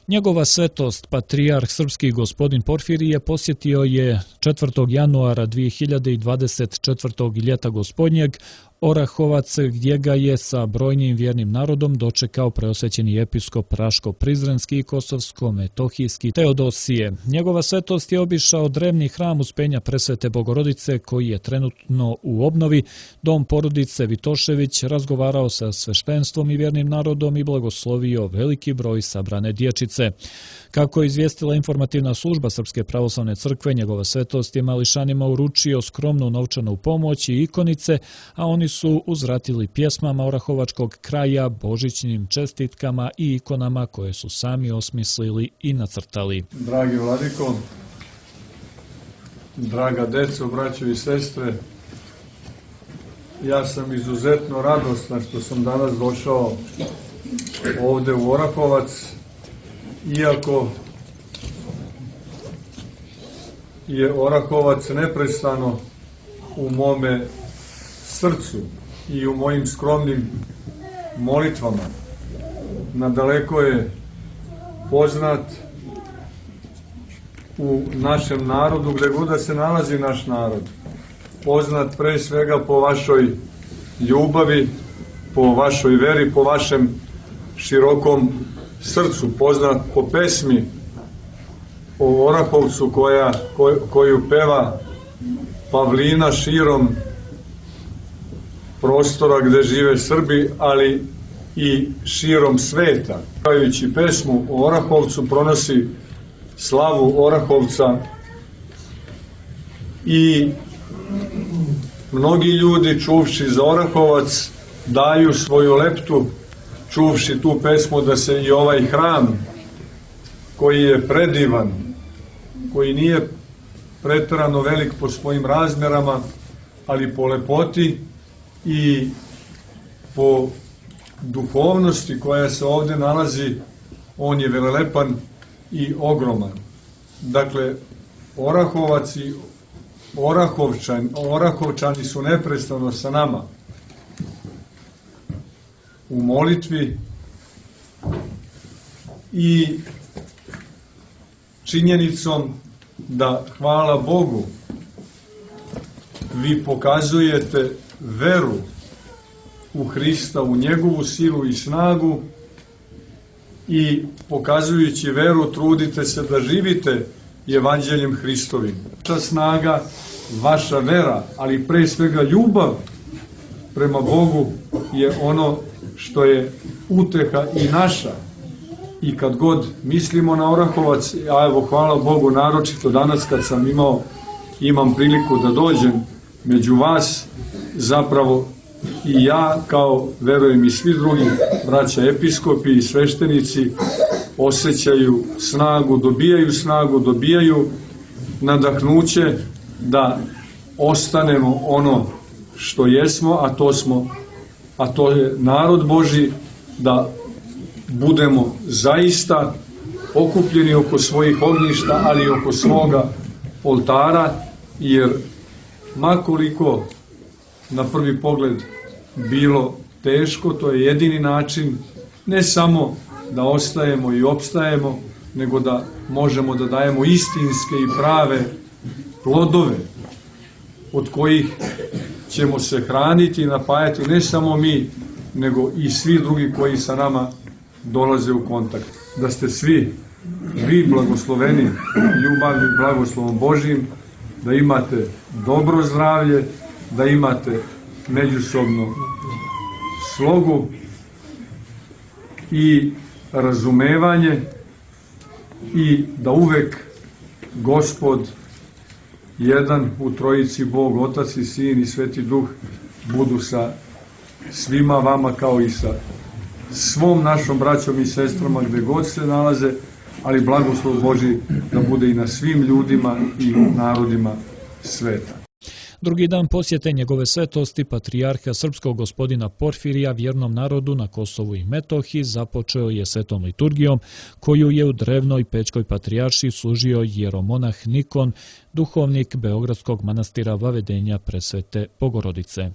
Njegova svetost, patrijarh srpski gospodin Porfirije, posjetio je 4. januara 2024. ljeta gospodnjeg Orahovac, gdje ga je sa brojnim vjernim narodom dočekao preosvećeni episkop Raško-Prizrenski i Kosovsko-Metohijski Teodosije. Njegova svetost je obišao drevni hram Uspenja Presvete Bogorodice, koji je trenutno u obnovi, dom porodice Vitošević, razgovarao sa sveštenstvom i vjernim narodom i blagoslovio veliki broj sabrane dječice. Kako je izvijestila informativna služba Srpske pravoslavne crkve, njegova svetost je mališanima uručio skromnu novčanu pomoć i ikonice, a oni su uzvratili pjesmama orahovačkog kraja, božićnim čestitkama i ikonama koje su sami osmislili i nacrtali. Dragi vladiko, draga deco, braćo i sestre, ja sam izuzetno radostan što sam danas došao ovde u Orahovac, iako je Orahovac neprestano u mome srcu i u mojim skromnim molitvama. Nadaleko je poznat u našem narodu, gde god da se nalazi naš narod. Poznat pre svega po vašoj ljubavi, po vašoj veri, po vašem širokom srcu, poznat po pesmi o Orahovcu koju peva Pavlina širom prostora gde žive Srbi, ali i širom sveta. Pevajući pesmu o Orahovcu pronosi slavu Orahovca i mnogi ljudi čuvši za Orahovac daju svoju leptu čuvši tu pesmu da se i ovaj hram koji je predivan, koji nije preterano velik po svojim razmerama, ali po lepoti i po duhovnosti koja se ovde nalazi, on je velelepan i ogroman. Dakle, Orahovac i Orahovčani su neprestano sa nama u molitvi i činjenicom da, hvala Bogu, vi pokazujete veru u Hrista, u njegovu silu i snagu i pokazujući veru trudite se da živite evanđeljem Hristovim. Vaša snaga, vaša vera, ali pre svega ljubav prema Bogu je ono što je uteha i naša. I kad god mislimo na Orahovac, a evo hvala Bogu naročito danas kad sam imam priliku da dođem među vas, zapravo i ja, kao verujem i svi drugi braća episkopi i sveštenici, osjećaju snagu, dobijaju nadahnuće da ostanemo ono što jesmo, a to je narod Božji, da budemo zaista okupljeni oko svojih ognjišta, ali i oko svoga oltara, jer makoliko na prvi pogled bilo teško, to je jedini način ne samo da ostajemo i opstajemo, nego da možemo da dajemo istinske i prave plodove od kojih ćemo se hraniti i napajati ne samo mi, nego i svi drugi koji sa nama dolaze u kontakt. Da ste svi vi blagosloveni ljubavnim blagoslovom Božjim, da imate dobro zdravlje, da imate međusobno slogu i razumevanje i da uvek Gospod jedan u trojici, Bog, Otac i Sin i Sveti Duh, budu sa svima vama kao i sa svom našom braćom i sestrama gde god se nalaze, ali blagoslov Božji da bude i na svim ljudima i narodima sveta. Drugi dan posjete njegove svetosti, patrijarha srpskog gospodina Porfirija vjernom narodu na Kosovu i Metohiji započeo je svetom liturgijom, koju je u drevnoj Pećkoj patrijaršiji služio jeromonah Nikon, duhovnik Beogradskog manastira Vavedenja Presvete Bogorodice.